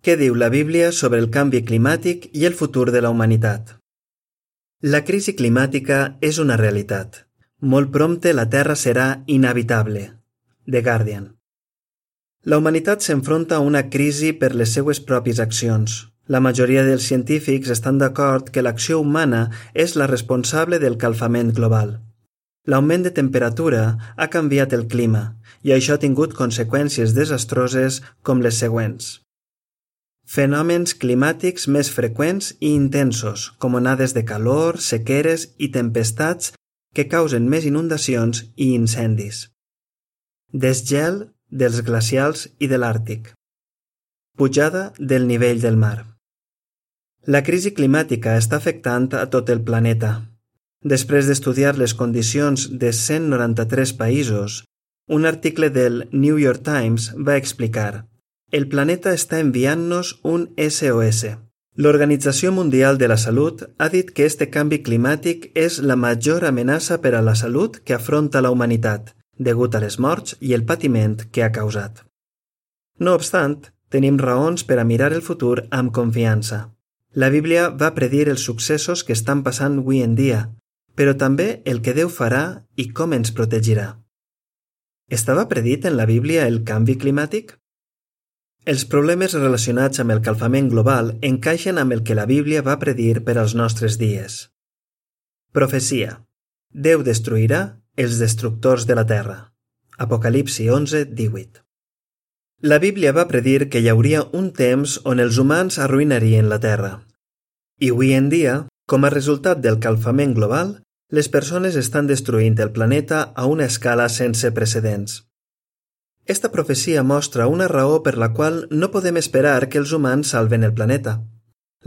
Què diu la Bíblia sobre el canvi climàtic i el futur de la humanitat? La crisi climàtica és una realitat. Molt prompte la Terra serà inhabitable. The Guardian. La humanitat s'enfronta a una crisi per les seues pròpies accions. La majoria dels científics estan d'acord que l'acció humana és la responsable del calfament global. L'augment de temperatura ha canviat el clima i això ha tingut conseqüències desastroses com les següents. Fenòmens climàtics més freqüents i intensos, com onades de calor, sequeres i tempestats que causen més inundacions i incendis. Desgel dels glacials i de l'Àrtic. Pujada del nivell del mar. La crisi climàtica està afectant a tot el planeta. Després d'estudiar les condicions de 193 països, un article del New York Times va explicar: el planeta està enviant-nos un SOS. L'Organització Mundial de la Salut ha dit que este canvi climàtic és la major amenaça per a la salut que afronta la humanitat, degut a les morts i el patiment que ha causat. No obstant, tenim raons per a mirar el futur amb confiança. La Bíblia va predir els successos que estan passant avui en dia, però també el que Déu farà i com ens protegirà. Estava predit en la Bíblia el canvi climàtic? Els problemes relacionats amb el calfament global encaixen amb el que la Bíblia va predir per als nostres dies. Profecia. Déu destruirà els destructors de la terra. Apocalipsi 11:18. La Bíblia va predir que hi hauria un temps on els humans arruïnarien la terra. I avui en dia, com a resultat del calfament global, les persones estan destruint el planeta a una escala sense precedents. Esta profecia mostra una raó per la qual no podem esperar que els humans salven el planeta.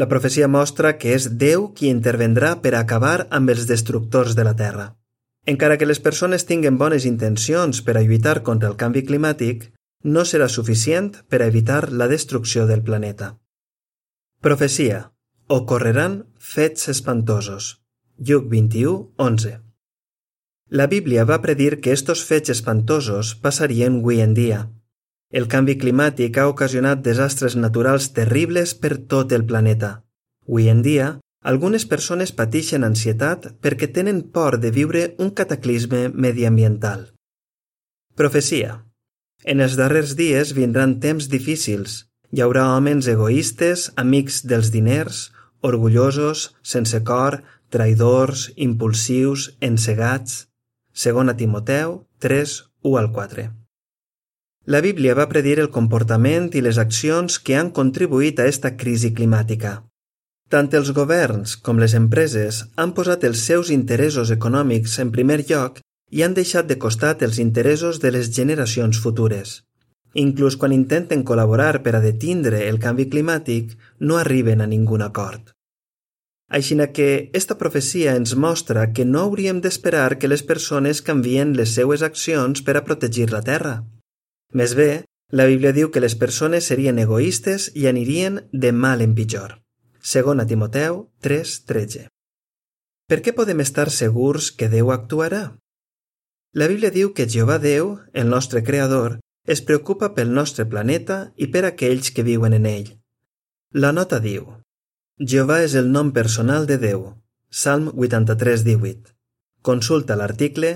La profecia mostra que és Déu qui intervendrà per acabar amb els destructors de la Terra. Encara que les persones tinguen bones intencions per a lluitar contra el canvi climàtic, no serà suficient per a evitar la destrucció del planeta. Profecia. Ocorreran fets espantosos. Lluc 21:11. La Bíblia va predir que estos fets espantosos passarien avui en dia. El canvi climàtic ha ocasionat desastres naturals terribles per tot el planeta. Avui en dia, algunes persones pateixen ansietat perquè tenen por de viure un cataclisme mediambiental. Profecia. En els darrers dies vindran temps difícils. Hi haurà homes egoistes, amics dels diners, orgullosos, sense cor, traïdors, impulsius, encegats. 2 Timoteu 3:1-4. La Bíblia va predir el comportament i les accions que han contribuït a esta crisi climàtica. Tant els governs com les empreses han posat els seus interessos econòmics en primer lloc i han deixat de costat els interessos de les generacions futures. Inclús quan intenten col·laborar per a detindre el canvi climàtic, no arriben a ningun acord. Aixina que esta profecia ens mostra que no hauríem d'esperar que les persones canvien les seues accions per a protegir la Terra. Més bé, la Bíblia diu que les persones serien egoistes i anirien de mal en pitjor. 2 Timoteu 3:13. Per què podem estar segurs que Déu actuarà? La Bíblia diu que Jehovà Déu, el nostre Creador, es preocupa pel nostre planeta i per aquells que viuen en ell. La nota diu: Jehovà és el nom personal de Déu. Salm 83:18. Consulta l'article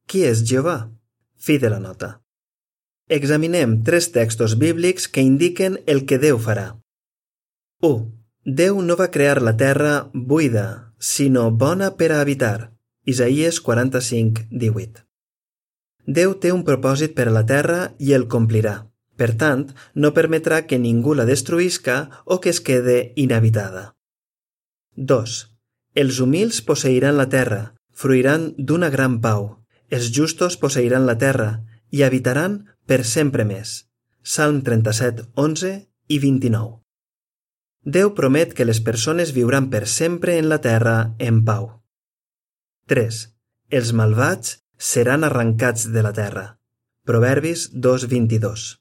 Qui és Jehovà? Fi de la nota. Examinem 3 textos bíblics que indiquen el que Déu farà. 1. Déu no va crear la terra buida, sinó bona per a habitar. Isaïes 45:18. Déu té un propòsit per a la terra i el complirà. Per tant, no permetrà que ningú la destruïsca o que es quede inhabitada. 2. Els humils posseiran la terra, fruiran d'una gran pau. Els justos posseiran la terra i habitaran per sempre més. Salm 37:11 i 29. Déu promet que les persones viuran per sempre en la terra en pau. 3. Els malvats seran arrencats de la terra. Proverbis 2:22.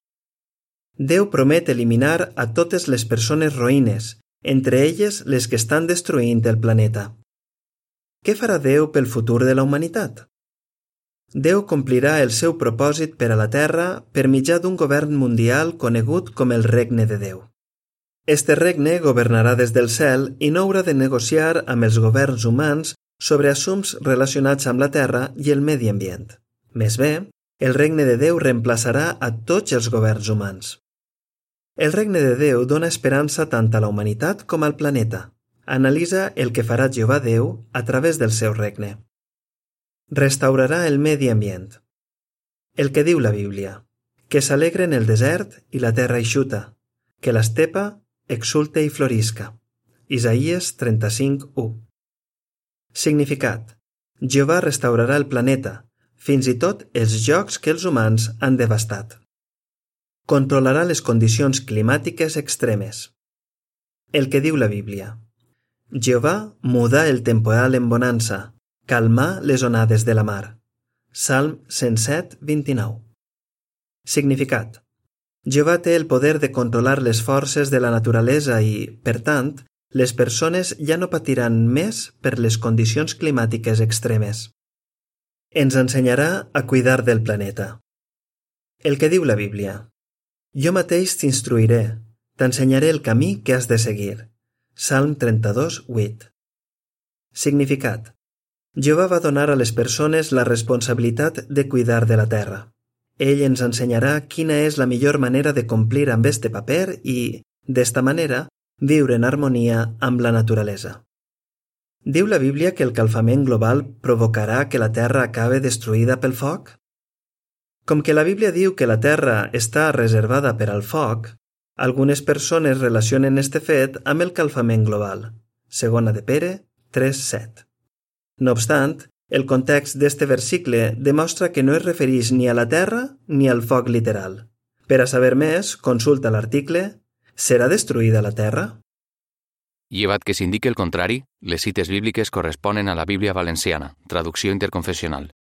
Déu promet eliminar a totes les persones roïnes, entre elles les que estan destruint el planeta. Què farà Déu pel futur de la humanitat? Déu complirà el seu propòsit per a la Terra per mitjà d'un govern mundial conegut com el Regne de Déu. Este regne governarà des del cel i no haurà de negociar amb els governs humans sobre assumptes relacionats amb la terra i el medi ambient. Més bé, el regne de Déu reemplaçarà a tots els governs humans. El regne de Déu dona esperança tant a la humanitat com al planeta. Analitza el que farà Jehovà Déu a través del seu regne. Restaurarà el medi ambient. El que diu la Bíblia, que s'alegren el desert i la terra eixuta, que l'estepa exulte i florisca. Isaïes 35:1. Significat: Jehovà restaurarà el planeta, fins i tot els llocs que els humans han devastat. Controlarà les condicions climàtiques extremes. El que diu la Bíblia. Jehovà mudà el temporal en bonança, calmà les onades de la mar. Salm 107:29. Significat: Jehovà té el poder de controlar les forces de la naturalesa i, per tant, les persones ja no patiran més per les condicions climàtiques extremes. Ens ensenyarà a cuidar del planeta. El que diu la Bíblia. Jo mateix t'instruiré, t'ensenyaré el camí que has de seguir. Salm 32:8. Significat: Jehovà va donar a les persones la responsabilitat de cuidar de la terra. Ell ens ensenyarà quina és la millor manera de complir amb este paper i, d'esta manera, viure en harmonia amb la naturalesa. Diu la Bíblia que el calfament global provocarà que la Terra acabe destruïda pel foc? Com que la Bíblia diu que la Terra està reservada per al foc, algunes persones relacionen este fet amb el calfament global. Segona de Pere 3:7. No obstant, el context d'este versicle demostra que no es refereix ni a la Terra ni al foc literal. Per a saber més, consulta l'article ¿Serà destruïda la Terra? Llevat que s'indiqui el contrari, les cites bíbliques corresponen a la Bíblia valenciana, traducció interconfessional.